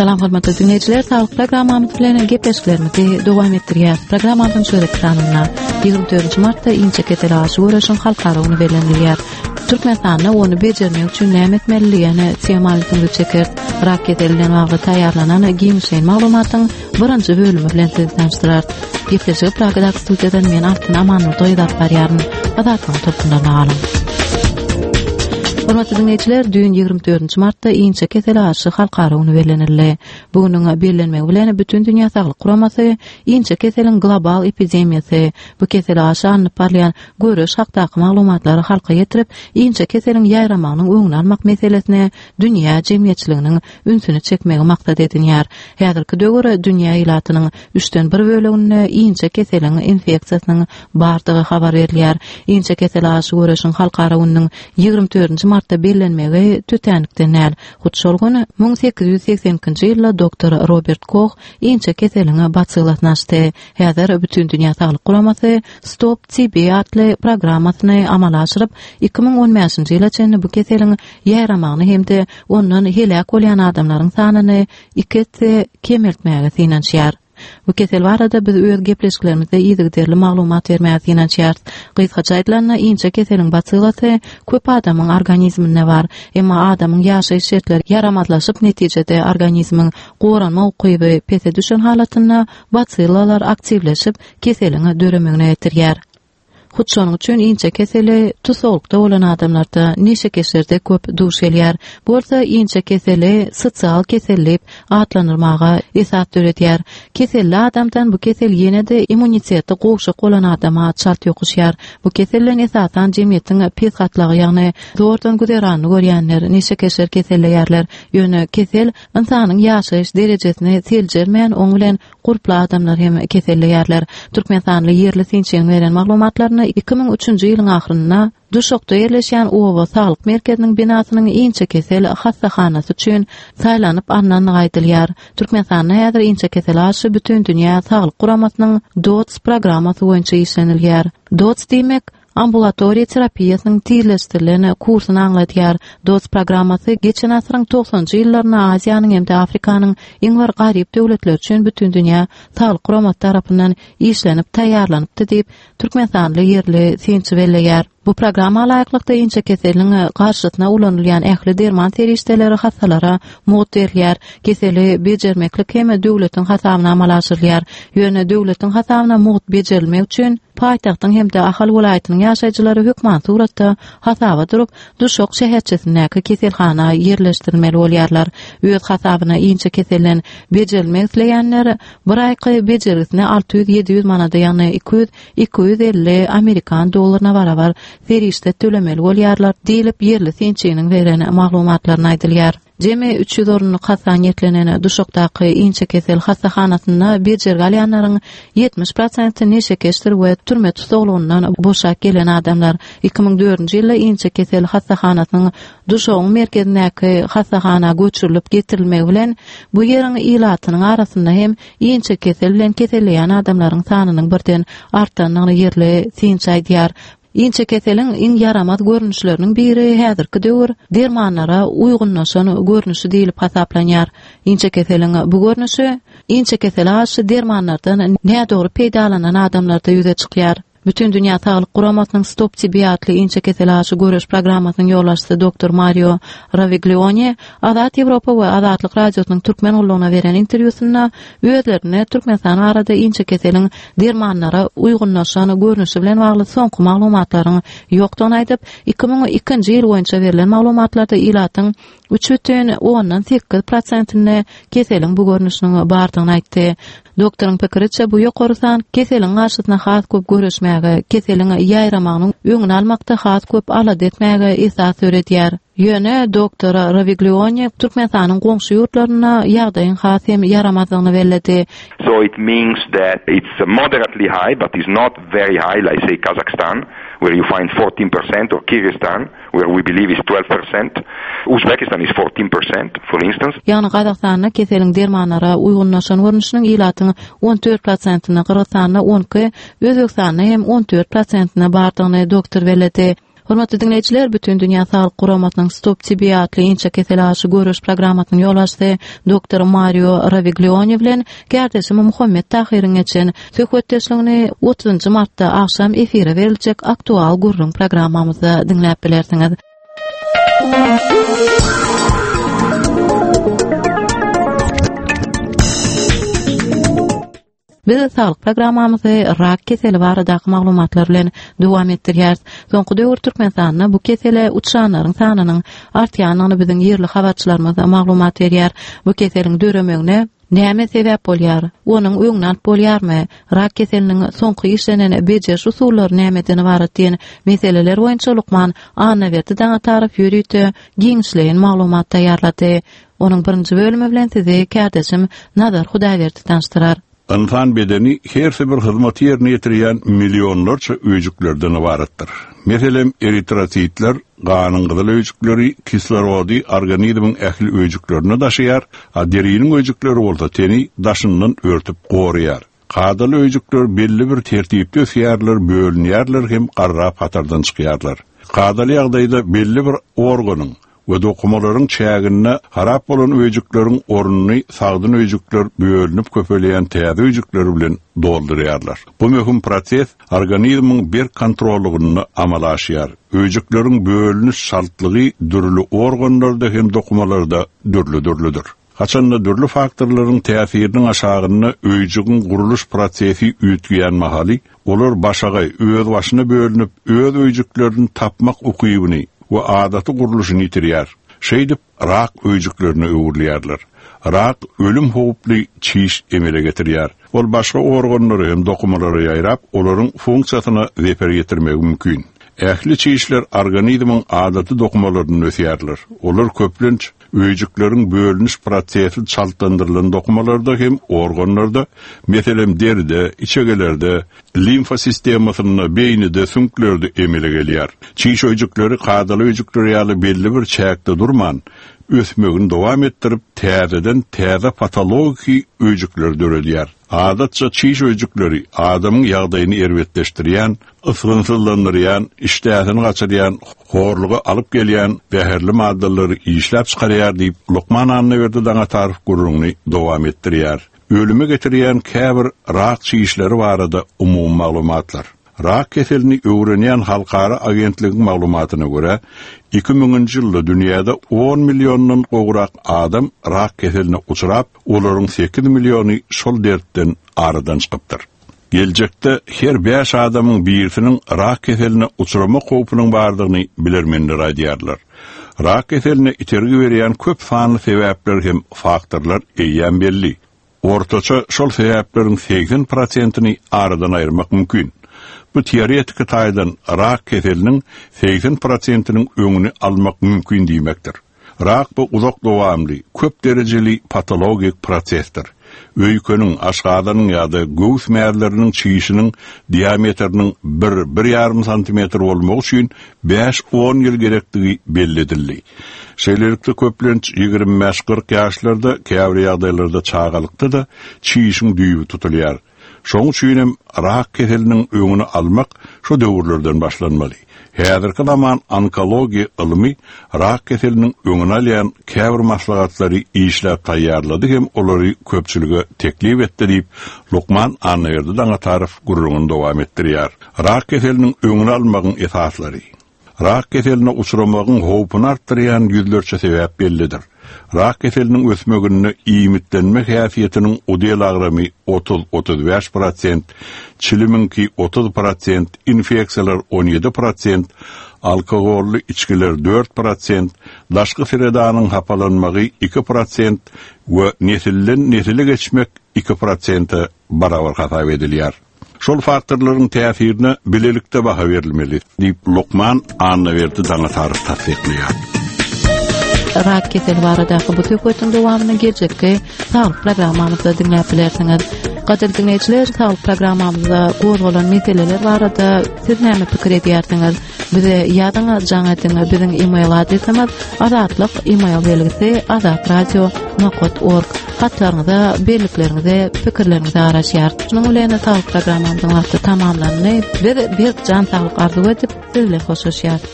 Salam hormatly diňleýjiler, saglyk programmamyz bilen gepleşiklerimizi dowam etdirýäris. Programmamyzyň şu gezekki sanynda 24 martda inçe kesele garşy göreşiň halkara güni bellenilýär. Türkmenistanda ony bejermek üçin näme etmeli diýen temany ünsüňizi çekeris. Rak keseli bilen bagly taýýarlanan giňişleýin maglumatyň birinji bölümi bilen sizi tanyşdyrarys. Gepleşigi Pragadaky studiýadan men Altyn Amanurdy gyz alyp barýaryn. Azatlygyň tolkunlaryna galyň. Hormatly diňleýjiler, düýn 24 martda inçe kesele garşy halkara güni bellenildi. Bu günüň bellenmegi bilen Bütindünýä Saglyk Guramasy inçe keseliň global epidemiýasy, bu kesele garşy alnyp barylýan göreş hakdaky maglumatlary halka ýetirip, inçe keseliň ýaýramagynyň öňüni almak meselesine dünýä jemgyýetçiliginiň ünsüni çekmegi maksat edinýär. Häzirki döwür dünýä ilatynyň üçden bir böleginde inçe keseliň infeksiýasynyň bardygy habar berilýär. Inçe kesele garşy göreşiň halkara gününiň 24-nji martda bellenmegi tötänlikden däl. Hut şol gün 1882-nji ýylda doktor Robert Koh inçe keseliň basillasyny açdy. Häzir Bütindünýä Saglyk Guramasy Stop TB atly programmasyny amala aşyryp, 2015-nji ýyla çenli bu keseliň ýaýramagyny hem-de ondan heläk bolýan adamlaryň sanyny iki esse kemeltmäge synanyşýar. Bu kesel barada biz öz gepleşiklerimizde yzygiderli maglumat bermäge synanyşýarys. Gysgaça aýdylanda, inçe keseliň basillasy köp adamyň organizminde bar. Emma adamyň ýaşaýyş şertleri ýaramazlaşyp, netijede organizmiň goranma ukyby pese düşen halatynda basillalar aktiwleşip, keseliň döremegine getirýär. Hut şonuň üçin inçe keseli tusaglykda bolan adamlarda, neşekeşlerde köp duş gelýär. Bu bolsa inçe keseli sosial kesel diýip atlandyrmaga esas döredýär. Keselli adamdan bu kesel ýene-de immuniteti gowşak bolan adama çalt ýokuşýar. Bu kesel bilen esasan jemgyýetiň pes gatlagy, ýagny zordan güzeranyny görýänler, neşekeşler keselleýärler. Ýöne kesel ynsanyň ýaşaýyş derejesini seljermän, oň bilen Gurply adamlar hem keselleýärler. Türkmenistanly ýerli synçynyň beren maglumatlarynda 2003-nji ýylyň ahyrynda Duşakda ýerleşýän oba saglyk merkeziniň binasynyň inçekesel hassahanasy üçin saýlanyp alnandygy aýdylýar. Türkmenistanda häzir inçekesele garşy Bütindünýä saglyk guramasynyň DOTS programmasy boýunça işlenilýär. DOTS diýmek, Ambulatoriýa terapiýasynyň tizleşdirilen kursuny aňladýar. DOTS programmasy geçen asyryň togsanjy ýyllarynda Aziýanyň hem-de Afrikanyň iň bir garyp döwletleri üçin Bütindünýä Saglyk Guramasy tarapyndan işlenip taýýarlanypdy diýip, türkmenistanly ýerli synçy belleýär. Bu programma laýyklykda inçekeseliniň garşysyna ulanylýan ähli derman serişdeleri hassalara mugt berilýär. Keseli bejermeklik hem döwletiň hasabyna amala aşyrylýar. Ýöne döwletiň hasabyna mugt bejerilmek üçin paýtagtyň hem-de Ahal welaýatynyň ýaşaýjylary hökman suratda hasaba durup, Duşak şäherçesindäki keselhana ýerleşdirilmeli bolýarlar. Öz hasabyna inçe keselden bejerilmek isleýänler bir aýky bejergisine 600-700 manada, ýagny 200-250 amerikan dollaryna barabar serişde tölemeli bolýarlar diýlip, ýerli synçynyň beren maglumatlarynda aýdylýar. Jemi 300 orunlyk hassa niýetlenen Duşakdaky inçekesel hassahanasynda bejergi alýanlaryň 70 prosenti neşekeşdir we türme tussaglygyndan boşap gelen adamlar. 2004-nji ýylda inçekesel hassahanasynyň Duşagyň merkezindäki hassahana göçürilip getirilmegi bilen bu ýeriň ilatynyň arasynda hem inçekesel bilen keselleýän adamlaryň sanynyň birden artandygyny ýerli synçy aýdýar. Inçekeseliň iň ýaramaz görnüşleriniň biri häzirki döwür dermanlara uýgunlaşan görnüşi diýlip hasaplanýar. Inçekeseliň bu görnüşi inçekesele garşy dermanlardan nädogry peýdalanan adamlarda ýüze çykýar. Bütindünýä Saglyk Guramasynyň Stop TB atly inçekesele garşy göreş programmasynyň ýolbaşçysy doktor Mario Rawiglione Azat Ýewropa we Azatlyk Radiosynyň Türkmen gullugyna beren interwýusynda özlerinde Türkmenistan barada inçekeseliň dermanlara uýgunlaşan görnüşi bilen bagly soňky maglumatlaryň ýokdugyny aýdyp, 2002-nji ýyl boýunça berlen maglumatlarda ilatyň 3,8 prosentinde keseliň bu görnüşiniň bardygyny aýtdy. Doktoryň pikiriçe, bu ýokary san keseliň garşysyna has köp göreşmäge, keseliň ýaýramagynyň öňüni almakda has köp alada etmäge esas döredýär. Ýöne doktor Rawiglione Türkmenistanyň goňşy ýurtlarynda ýagdaýyň has hem ýaramazdygyny belledi. So it means that it's moderately high but is not very high like say Kazakhstan where you find 14% or Kyrgyzstan where we believe is 12%, Uzbekistan is 14% for instance. Ýagny Gazagystanda keseliň dermanlara uýgunlaşan görnüşiniň ilatyň 14 prosentinde, Gyrgyzystanda 12, Özbegistanda hem 14 prosentinde bardygyny doktor belledi. Hormatly diňleýjiler, Bütindünýä Saglyk Guramasynyň Stop TB atly inçe kesele garşy göreş programmasynyň ýolbaşçysy doktor Mario Rawiglioni bilen kärdeşim Muhammet Tahyryň geçen söhbetdeşligini 30-njy martda agşam efire beriljek Aktual gürrüň programmamyzda diňläp bilersiňiz. Biz saglyk programmamyzy rak keseli baradaky maglumatlar bilen dowam etdirýäris. Soňky döwür Türkmenistanda bu kesele uçranlaryň sanynyň artýandygyny biziň ýerli habarçylarymyz maglumat berýär. Bu keseliň döremegine näme sebäp bolýar? Onuň öňüni alyp bolýarmy? Rak keseliniň soňky işlenen bejeriş usullary nämeden ybarat diýen meseleler boýunça lukman Annaberdi Daňatarow ýörite giňişleýin maglumat taýýarlady. Onuň birinji bölümi bilen sizi kärdeşim Nazar Hudaýberdi tanyşdyrar. Ynsan bedeni hersi bir hyzmaty ýerine ýetirýän millionlarça öýjüklerden ybaratdyr. Meselem, eritrositler, ganyň gyzyl öýjükleri, kislorody organizmiň ähli öýjüklerine daşaýar, a deriniň öýjükleri bolsa teni daşyndan örtüp goraýar. Kadaly öýjükler belli bir tertipde ösýärler, bölünýärler hem garrap hatardan çykýarlar. Kadaly ýagdaýda belli bir organyň we dokumalaryň çäginde harap bolan öýjükleriň ornuny sagdyn öýjükler bölünip köpelýän täze öýjükler bilen doldurýarlar. Bu möhüm proses organizmiň berk kontrollygynda amala aşýar. Öýjükleriň bölüniş çaltlygy dürli organlarda hem dokumalarda dürli-dürlüdir. Haçanda dürli faktorlaryň täsiriniň aşagynda öýjügiň gurluş prosesi üýtgeýän mahaly, olar başagaý, özbaşyna bölünip, öz öýjüklerini tapmak ukybyny we adaty gurluşyny ýitirýär. Şeýdip, rak öýjüklerine öwrülýärler. Rak ölüm howply çiş emele getirýär. Ol başga organlara hem dokumalara ýaýrap, olaryň funksiýasyna zeper ýetirmegi mümkin. Ähli çişler organizmiň adaty dokumalarynda ösýärler. Olar köplenç Öýjükleriň bölüniş prosesi çaltlandyrylan dokumalarda hem organlarda, meselem, deride, içegelerde, limfa sistemasynda, beýnide, süňklerde emele gelýär. Çiş öýjükleri kadaly öýjükler ýaly belli bir çäkde durman, ösmegini dowam etdirip, täzeden täze patologiki öýjükleri döredýär. Adatça çiş öýjükleri adamyň ýagdaýyny erbetleşdirýän, ysgynsyzlandyrýan, işdäsini gaçyrýan, horluga alyp gelýän zäherli maddalary işläp çykarýar diýip, lukman Annaberdi Daňatarow gürrüňini dowam etdirýär. Ölüme getirýän käbir rak çişleri barada umumy maglumatlar. Rak keselini öwrenýän halkara agentligiň maglumatyna görä, iki müňünji ýylda dünýäde on milliondan gowrak adam rak keseline uçrap, olaryň sekiz milliony şol dertden aradan çykypdyr. Geljekde her bäş adamyň birisiniň rak keseline uçramak howpunyň bardygyny bilermenler aýdýarlar. Rak keseline itergi berýän köp sanly sebäpler hem faktorlar eýýäm belli. Ortaça şol sebäpleriň 80 prosentini aradan aýyrmak mümkin. Bu teoretiki taýdan rak keseliniň 80 prosentiniň öňüni almak mümkin diýmekdir. Rak bu uzak dowamly, köp derejeli patologik prosesdir. Öýkeniň, aşgazanyň ýa-da göwüs mäzleriniň çişiniň diametriniň bir, bir ýarym santimetr bolmagy üçin bäş-on ýyl gerekdigi belli edildi. Şeýlelikde, köplenç 25-40 ýaşlarda, käbir ýagdaýlarda çagalykda-da çişiň düýbi tutulýar. Şoň üçin hem rak keseliniň öňüni almak şu döwürlerden başlanmaly. Häzirki zaman onkologiýa ylmy rak keseliniň öňüni alýan käbir maslahatlary işläp taýýarlady hem olary köpçülige teklip etdi diýip, lukman Annaberdi Daňatarow gürrüňini dowam etdirýär. Rak keseliniň öňüni almagyň esaslary. Rak keseline uçramagyň howpuny artdyrýan ýüzlerçe sebäp bellidir. Rak keseliniň ösmeginde iýmitlenme häsiýetiniň udel agramy 30, 35 prosent, çilimiňki 30 prosent, infeksiýalar 17 prosent, alkogolly içgiler 4 prosent, daşky sredanyň hapalanmagy 2 prosent we nesilden nesile geçmek 2 prosente barabar hasap edilýär. Şol faktorlaryň täsirine bilelikde baha berilmeli, diýip, lukman Annaberdi Daňatarow tassyklaýar. Rak keseli baradaky bu söhbetiň dowamyny geljekki saglyk programmamyzda diňläp bilersiňiz. Gadyrly diňleýjiler, saglyk programmamyzda gozgalan meseleler barada siz näme pikir edýärsiňiz? Bize ýazyň, jaň ediň. Biziň e-mail adresimiz azatlyk e-mail belgisi azatradio nokat org. Hatlaryňyza, bellikleriňize, pikirleriňize garaşýarys. Şunuň bilen saglyk programmamyzyň wagty tamamlandy. Biz berk jan saglyk arzuw edip, siz bilen hoşlaşýarys.